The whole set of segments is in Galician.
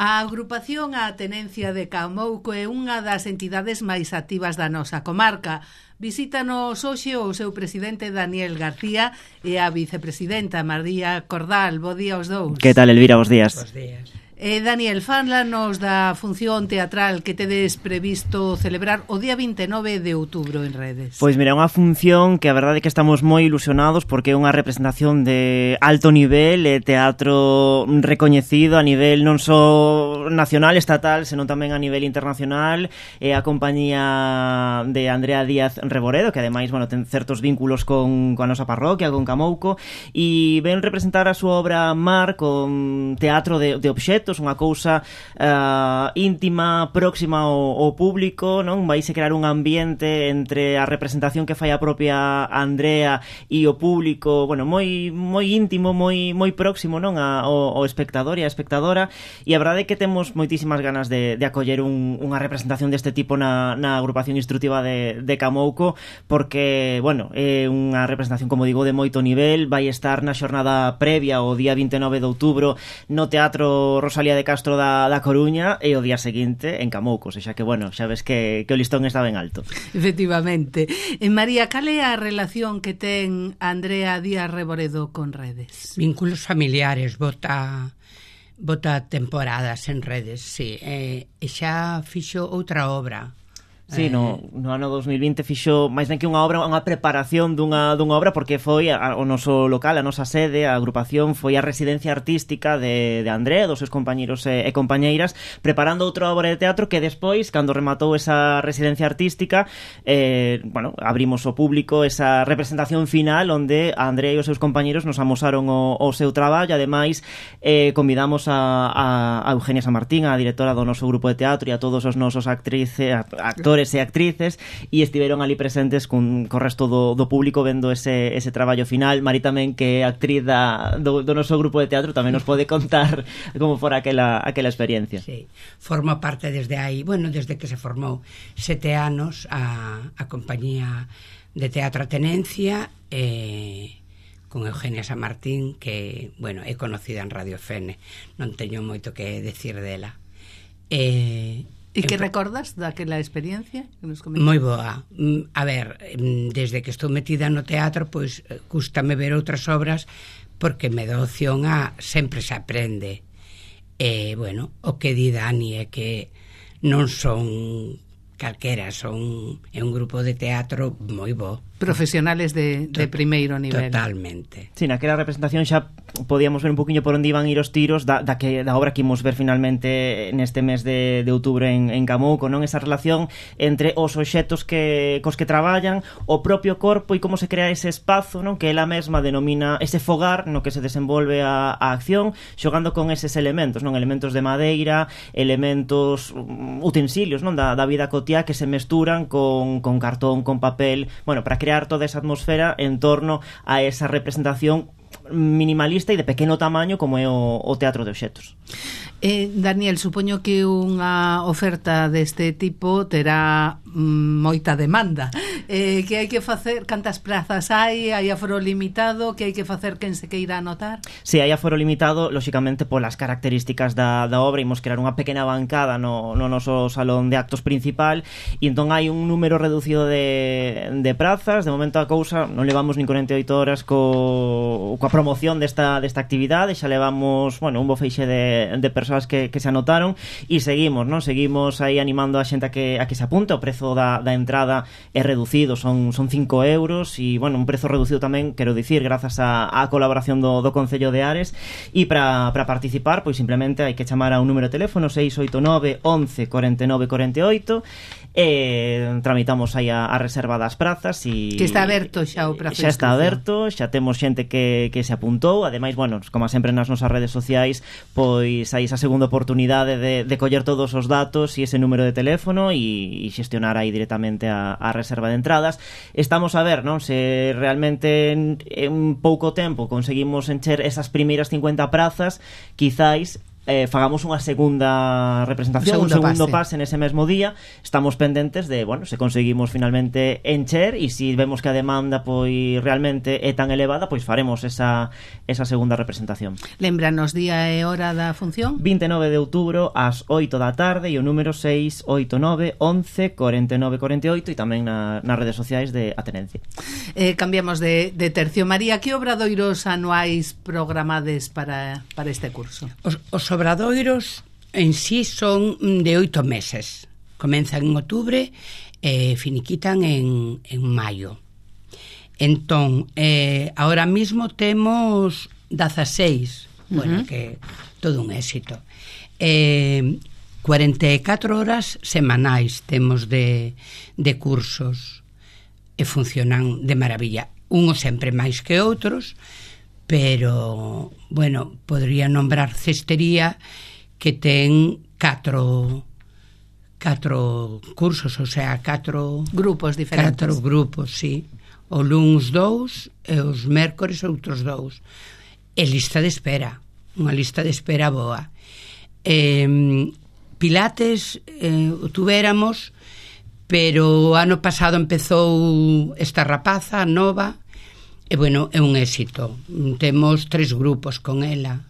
A agrupación A Tenencia de Camouco é unha das entidades máis activas da nosa comarca. Visítanos hoxe o seu presidente Daniel García e a vicepresidenta María Cordal. Bo día aos dous. Que tal, Elvira? Bos días. Bos días. Daniel, fálanos da función teatral que tedes previsto celebrar o día 29 de outubro en redes. Pois mira, é unha función que a verdade é que estamos moi ilusionados porque é unha representación de alto nivel, teatro recoñecido a nivel non só nacional, estatal, senón tamén a nivel internacional. É a compañía de Andrea Díaz Reboredo, que ademais, bueno, ten certos vínculos coa nosa parroquia, con Camouco, e ven representar a súa obra Mar con teatro de obxetos, unha cousa íntima, próxima ao público, non? Vaise crear un ambiente entre a representación que fai a propia Andrea e o público, bueno, moi íntimo, moi próximo, non? Ao espectador e a espectadora, e a verdade é que temos moitísimas ganas de acoller unha representación deste tipo na agrupación instructiva de Camouco, porque, bueno, é unha representación, como digo, de moito nivel. Vai estar na xornada previa o día 29 de outubro no Teatro Rosalía de Castro da Coruña e o día seguinte en Camouco, xa que, bueno, xa ves que o listón está ben alto. Efectivamente. María, cal é a relación que ten Andrea Díaz Reboredo con redes? Vínculos familiares, bota temporadas en redes, sí. E xa fixo outra obra. Sí, no ano 2020 fixo máis ben que unha obra, unha preparación dunha obra, porque foi o noso local, a nosa sede, a agrupación foi a residencia artística de André, dos seus compañeros e compañeiras, preparando outra obra de teatro que despois, cando rematou esa residencia artística, bueno, abrimos ao público esa representación final onde a André e os seus compañeros nos amosaron o seu traballo. Ademais, convidamos a Eugenia San Martín, a directora do noso grupo de teatro, e a todos os nosos actores e actrices, e estiveron ali presentes co resto do público vendo ese traballo final. Mari tamén, que é actriz do noso grupo de teatro, tamén nos pode contar como fora aquela experiencia. Sí, forma parte desde aí, bueno, desde que se formou 7 anos a compañía de teatro A Tenencia, con Eugenia San Martín, que, bueno, é conocida en Radio Fene, non teño moito que decir dela. E que recordas daquela experiencia que nos comentas? Moi boa. A ver, desde que estou metida no teatro, pois gústame ver outras obras porque me dá opción a sempre se aprende. Bueno, o que di Dani é que non son calquera, é un grupo de teatro moi bo. Profesionales de primeiro nivel. Totalmente. Sí, naquela representación xa podíamos ver un poquinho por onde iban ir os tiros da obra que imos ver finalmente neste mes de outubro en Camouco, non? Esa relación entre os obxetos cos que traballan, o propio corpo e como se crea ese espazo, non? Que ela mesma denomina ese fogar no que se desenvolve a acción, xogando con eses elementos, non? Elementos de madeira, elementos, utensilios, non? Da vida cotiá que se mesturan con cartón, con papel, bueno, para crear toda esa atmosfera en torno a esa representación minimalista e de pequeno tamaño como é o teatro de obxetos. Daniel, supoño que unha oferta deste tipo terá moita demanda. Que hai que facer? Cantas prazas hai? Hai aforo limitado? Que hai que facer quen se queira anotar? Si, hai aforo limitado, lóxicamente polas características da obra. Imos crear unha pequena bancada no noso salón de actos principal, e entón hai un número reducido de prazas. De momento a cousa non levamos nin 48 horas coa promoción desta actividade. Xa levamos, bueno, un bo feixe de persoas que se anotaron, e seguimos, non? Seguimos aí animando a xente a que se apunte. O prezo da entrada é reducido, son 5 euros, e, bueno, un prezo reducido tamén, quero dicir, grazas á colaboración do Concello de Ares. E para participar, pois simplemente hai que chamar a un número de teléfono 689 11 49 48, e tramitamos aí a reserva das prazas. E que está aberto xa o prazo. Xa está aberto, xa temos xente que se apuntou. Ademais, bueno, como sempre nas nosas redes sociais, pois hai esa segunda oportunidade de coller todos os datos e ese número de teléfono e xestionar aí directamente a reserva de entradas. Estamos a ver, non, se realmente en pouco tempo conseguimos encher esas primeiras 50 prazas, quizáis fagamos unha segunda representación, un segundo pase nese mesmo día. Estamos pendentes de, bueno, se conseguimos finalmente encher, e se vemos que a demanda pois realmente é tan elevada, pois faremos esa segunda representación. Lembranos día e hora da función. 29 de outubro ás 8 da tarde, e o número 689 11 49 48, e tamén nas redes sociais de Atenencia. Cambiamos de tercio. María, que obradoiros anuais programades para este curso? Os obradoiros en sí son de 8 meses. Comenzan en outubro e finiquitan en maio. Entón, ahora mismo temos 16, bueno, que todo un éxito. 44 horas semanais temos de cursos, e funcionan de maravilla. Unos sempre máis que outros, pero, bueno, podría nombrar Cestería, que ten 4 cursos, o sea, 4 grupos diferentes. 4 grupos, sí. O luns 2 e os mércores outros 2. E lista de espera, unha lista de espera boa. Pilates tuveramos, pero o ano pasado empezou esta rapaza nova, e, bueno, é un éxito. Temos 3 grupos con ela.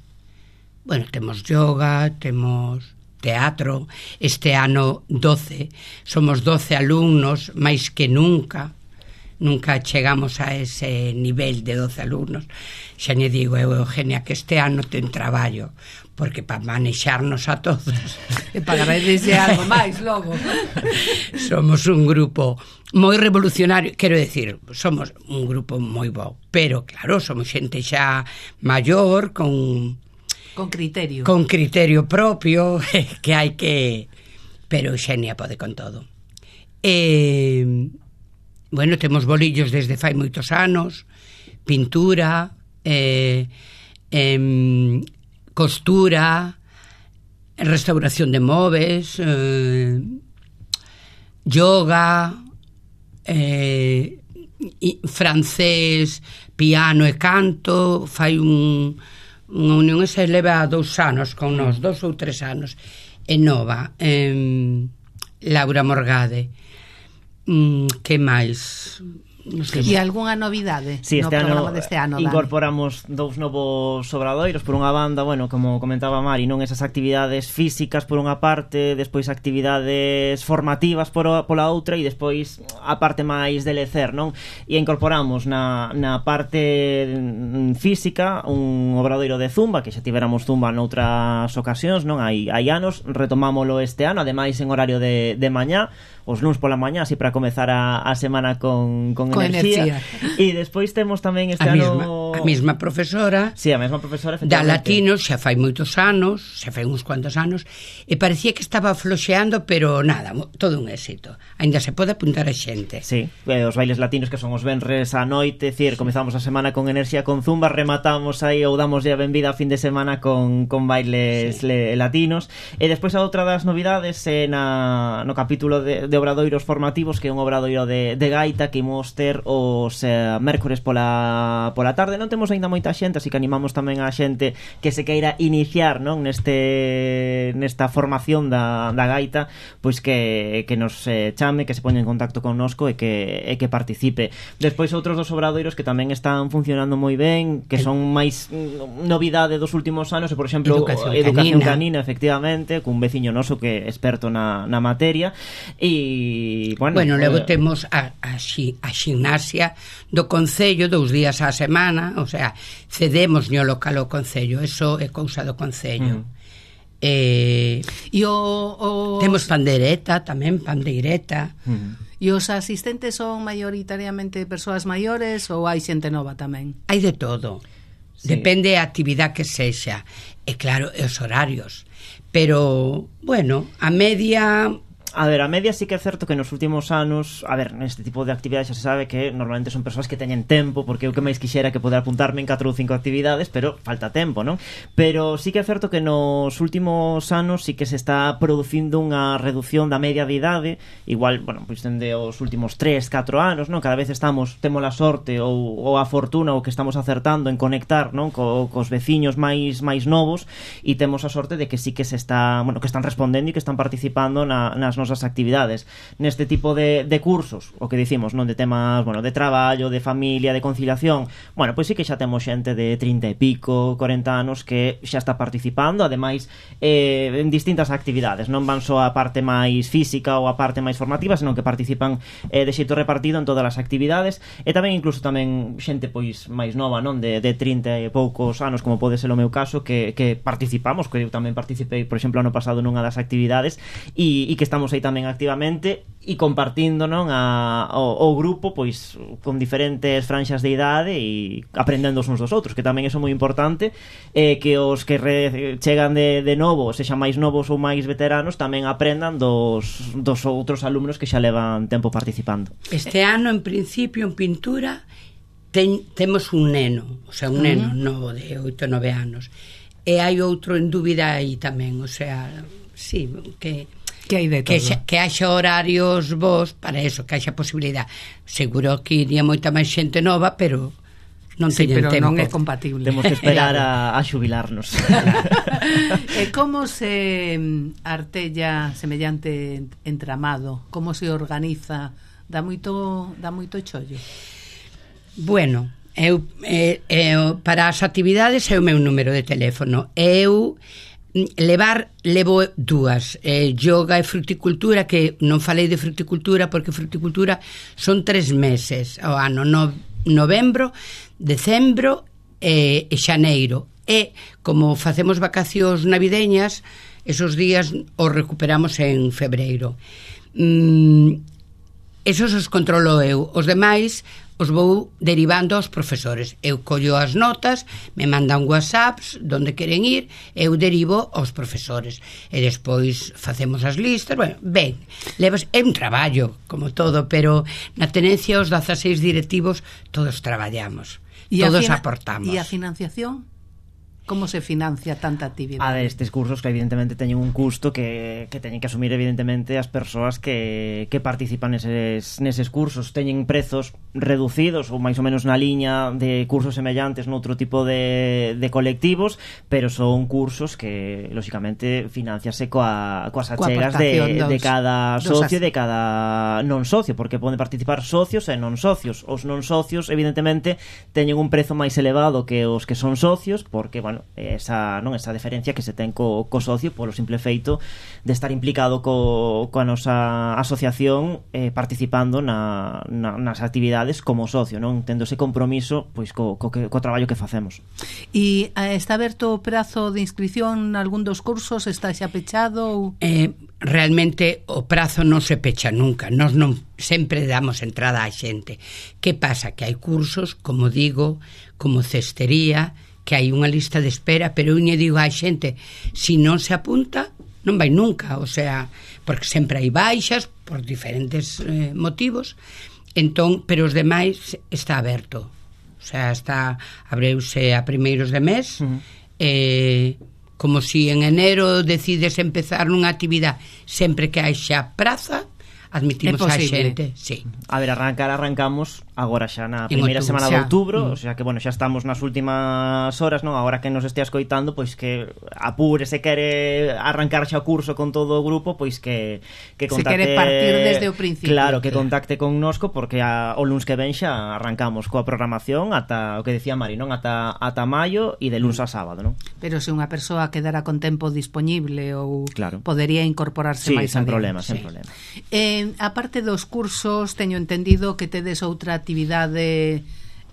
Bueno, temos yoga, temos teatro. Este ano 12, somos 12 alumnos, máis que nunca chegamos a ese nivel de 12 alumnos. Xa lle digo eu, Eugenia, que este ano ten traballo, porque para manexarnos a todos e pagarles algo máis logo. Somos un grupo moi revolucionario, quero decir, somos un grupo moi bo, pero claro, somos xente xa maior, con criterio propio, que hai que... Pero Xenia pode con todo. Bueno, temos bolillos desde fai moitos anos, pintura, costura, restauración de móveis, yoga, francés, piano e canto. Fai unha unión, e se leva 2 anos con nós, 2 ou 3 anos. E nova, Laura Morgade. Que máis? E algunha novidade no programa deste ano? Incorporamos 2 novos obradoiros. Por unha banda, bueno, como comentaba Mari, non esas actividades físicas por unha parte, despois actividades formativas pola outra, e despois a parte máis de lecer, non? E incorporamos na parte física un obradoiro de zumba, que xa tiveramos zumba noutras ocasións, non? Hai anos, retomámolo este ano, ademais en horario de mañá, os luns pola mañá, así para comezar a semana con enerxía. E despois temos tamén este ano a mesma profesora. Sí, a mesma profesora, da latino, xa fai moitos anos, xa fai uns cuantos anos, e parecía que estaba floxeando, pero nada, todo un éxito. Aínda se pode apuntar a xente. Sí, os bailes latinos, que son os venres á noite, decir, comezamos a semana con enerxía con zumba, rematamos aí ou damos a benvida a fin de semana con bailes latinos. E despois a outra das novidades é no capítulo de obradoiros formativos, que é un obradoiro de gaita que imos ter os mércores pola tarde. Non temos aínda moita xente, así que animamos tamén a xente que se queira iniciar, non, nesta formación da gaita, pois que nos chame, que se poña en contacto connosco e que participe. Despois outros dos obradoiros que tamén están funcionando moi ben, que son máis novidade dos últimos anos, e, por exemplo, Educación Canina, efectivamente, cun veciño noso que é experto na materia. E, bueno, logo temos a ximnasia do Concello 2 días á semana, o sea, cedemos no local ao Concello, eso é cousa do Concello. Temos pandeireta tamén, pandeireta. E os asistentes son maioritariamente persoas maiores ou hai xente nova tamén? Hai de todo. Sí. Depende a actividade que sexa. E claro, os horarios. Pero, bueno, a media... A ver, a media sí que é certo que nos últimos anos, a ver, neste tipo de actividades xa se sabe que normalmente son persoas que teñen tempo, porque eu que máis quixera que poder apuntarme en 4 ou 5 actividades, pero falta tempo, non? Pero sí que é certo que nos últimos anos sí que se está producindo unha reducción da media de idade, igual, bueno, pois dende os últimos 3, 4 anos, non? Cada vez temos a sorte ou a fortuna ou que estamos acertando en conectar, non? Cos veciños máis novos, e temos a sorte de que sí que se está, bueno, que están respondendo e que están participando nas nosas actividades. Neste tipo de cursos, o que dicimos, non, de temas, bueno, de traballo, de familia, de conciliación, bueno, pois sí que xa temos xente de 30 e pico, 40 anos que xa está participando, ademais en distintas actividades, non van só a parte máis física ou a parte máis formativa, senón que participan de xeito repartido en todas as actividades, e tamén incluso tamén xente pois máis nova, non, de 30 e poucos anos, como pode ser o meu caso, que participamos, que eu tamén participei, por exemplo, ano pasado nunha das actividades, e que estamos aí tamén activamente e compartindo, non, o grupo pois con diferentes franxas de idade e aprendendo uns dos outros, que tamén é moi importante, que os que chegan de novo, sexan máis novos ou máis veteranos, tamén aprendan dos outros alumnos que xa levan tempo participando. Este ano, en principio, en pintura temos un neno, o sea, un neno novo de 8 ou 9 anos, e hai outro en dúbida aí tamén, o sea, sí, que hai de todo. Que haxa horarios vos para eso, que haxa posibilidade. Seguro que iría moita máis xente nova, pero non teñen tempo. Non é compatible. Temos que esperar a xubilarnos. E como se artella semellante entramado? Como se organiza? Dá moito chollo? Bueno, eu para as actividades é o meu número de teléfono. Eu levo dúas, yoga e fruticultura, que non falei de fruticultura porque fruticultura son 3 meses ao ano, novembro, decembro e xaneiro, e como facemos vacacións navideñas, esos días os recuperamos en febreiro. Esos os controlo eu, os demais os vou derivando aos profesores. Eu collo as notas, me mandan whatsapps donde queren ir, eu derivo aos profesores e despois facemos as listas. Bueno, ben, é un traballo como todo, pero na tenencia os 16 directivos todos traballamos, todos aportamos. E a financiación? Como se financia tanta actividade? A ver, estes cursos que evidentemente teñen un custo que teñen que asumir evidentemente as persoas que participan neses cursos. Teñen prezos reducidos ou máis ou menos na liña de cursos semellantes noutro tipo de colectivos, pero son cursos que lóxicamente financiase coas achegas de cada socio e de cada non socio, porque poden participar socios e non socios. Os non socios evidentemente teñen un prezo máis elevado que os que son socios, porque, bueno, esa diferencia que se ten co socio polo simple feito de estar implicado coa nosa asociación, participando nas actividades como socio, non tendo ese compromiso pois co traballo que facemos. E está aberto o prazo de inscripción nalgún dos cursos? Está xa pechado? Realmente o prazo non se pecha nunca, nós non sempre damos entrada á xente. Que pasa? Que hai cursos, como digo, como cestería, que hai unha lista de espera, pero eu lle digo á xente, se non se apunta non vai nunca, o sea, porque sempre hai baixas por diferentes motivos, entón, pero os demais está aberto, o sea, abreuse a primeiros de mes, como si en enero decides empezar nunha actividade, sempre que hai xa praza, admitimos a xente, sí. A ver, arrancamos agora xa na primeira semana de outubro, o sea que, bueno, xa estamos nas últimas horas, non? Agora que nos estea escoitando, pois que apure, se quere arrancar xa o curso con todo o grupo, pois que contacte, se quere partir desde o principio, claro, que contacte connosco, porque o luns que ven xa arrancamos coa programación ata o que decía Mari, non? Ata maio e de luns a sábado, non? Pero se unha persoa quedara con tempo disponible ou claro, podería incorporarse máis sen adiante. Problema, sen problema. A parte dos cursos, teño entendido que tedes outra actividade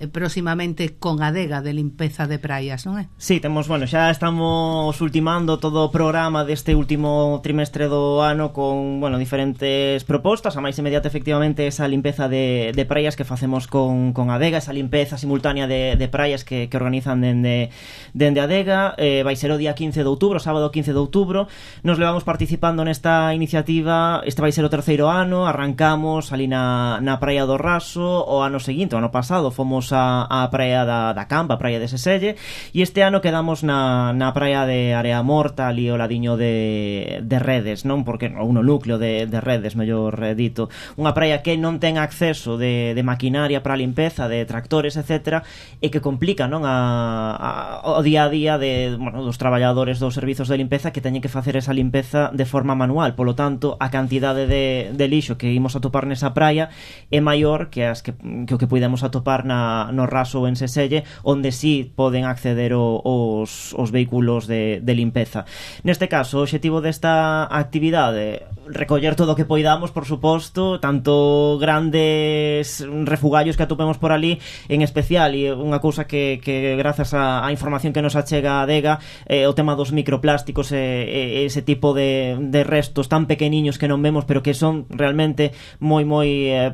próximamente con Adega de limpeza de praias, non é? Sí, temos, bueno, xa estamos ultimando todo o programa deste último trimestre do ano con, bueno, diferentes propostas. A máis inmediata, efectivamente, esa limpeza de praias que facemos con Adega, esa limpeza simultánea de praias que organizan dende Adega. Vai ser o día 15 de outubro, sábado 15 de outubro. Nos levamos participando nesta iniciativa. Este vai ser o terceiro ano. Arrancamos ali na Praia do Raso. O ano seguinte, o ano pasado, fomos a praia da Campa, a praia de Seselle, e este ano quedamos na praia de Area Morta, ali ao ladiño de Redes, non? Porque ou no núcleo de Redes, mellor dito, unha praia que non ten acceso de maquinaria para a limpeza, de tractores, etc., e que complica, non, o día a día dos traballadores dos servizos de limpeza que teñen que facer esa limpeza de forma manual. Polo tanto, a cantidade de lixo que imos atopar nesa praia é maior que o que podemos atopar no Raso ou en Seselle, onde sí poden acceder os vehículos de limpeza. Neste caso, o obxectivo desta actividade, recoller todo o que poidamos, por suposto, tanto grandes refugallos que atopemos por ali, en especial, e unha cousa que grazas á información que nos achega a Adega, o tema dos microplásticos e ese tipo de restos tan pequeniños que non vemos, pero que son realmente moi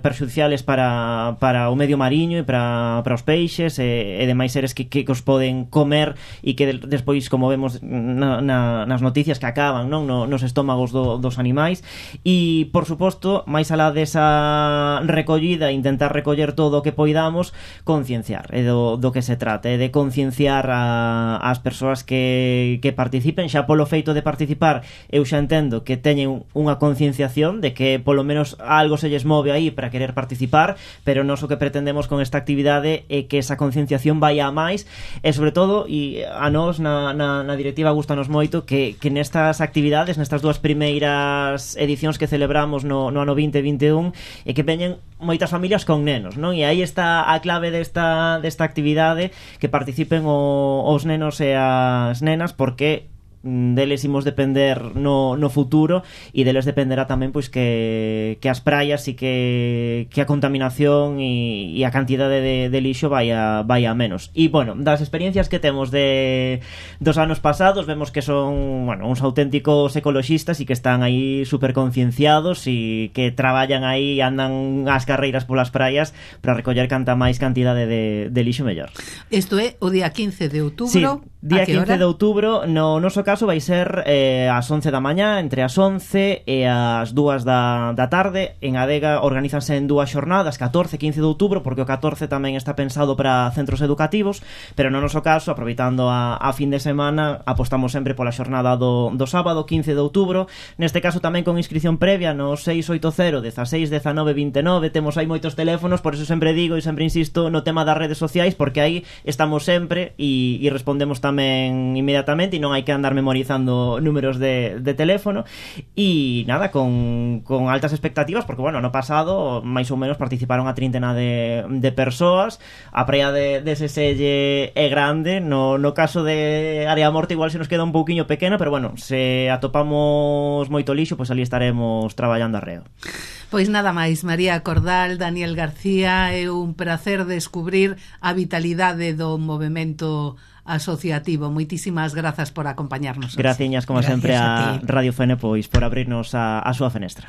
perxudiciales para o medio mariño e para os peixes e demais seres que os poden comer e que despois, como vemos nas noticias, que acaban, non, nos estómagos dos animais. E, por suposto, máis alá desa recollida, intentar recoller todo o que poidamos, concienciar, é do que se trata, é de concienciar as persoas que participen. Xa polo feito de participar, eu xa entendo que teñen unha concienciación de que polo menos algo se lles move aí para querer participar, pero nós o que pretendemos con esta actividade é que esa concienciación vai a máis, e sobre todo, e a nós na directiva gustanos moito que nestas actividades, nestas dúas primeiras edicións que celebramos no ano 2021, e que veñen moitas familias con nenos, non? E aí está a clave desta actividade, que participen os nenos e as nenas, porque deles imos depender no futuro, e deles dependerá tamén pois que as praias e que a contaminación e a cantidade de lixo vai a menos. E, bueno, das experiencias que temos dos anos pasados, vemos que son, bueno, uns auténticos ecoloxistas e que están aí super concienciados e que traballan aí, andan ás carreiras polas praias para recoller canta máis cantidade de lixo mellor. Isto é o día 15 de outubro. Sí, día 15 de outubro. No noso caso vai ser ás 11 da mañá, entre as 11 e as 2 da tarde. En Adega organízanse en dúas xornadas, 14 e 15 de outubro, porque o 14 tamén está pensado para centros educativos, pero no noso caso, aproveitando a fin de semana, apostamos sempre pola xornada do sábado 15 de outubro. Neste caso tamén con inscripción previa no 680 16 19 29. Temos aí moitos teléfonos, por eso sempre digo e sempre insisto no tema das redes sociais, porque aí estamos sempre e respondemos tamén inmediatamente, e non hai que andar memorizando números de teléfono. E nada, con altas expectativas, porque, bueno, no pasado máis ou menos participaron a trintena de persoas. A praia de Seselle é grande, no caso de Area Morta igual se nos queda un pouquiño pequena, pero, bueno, se atopamos moito lixo, pois ali estaremos traballando arreo. Pois nada máis, María Cordal, Daniel García, é un prazer descubrir a vitalidade do movemento asociativo. Moitísimas grazas por acompañarnos. Graciñas, como sempre, a Radio Fene, pois por abrirnos a súa fenestra.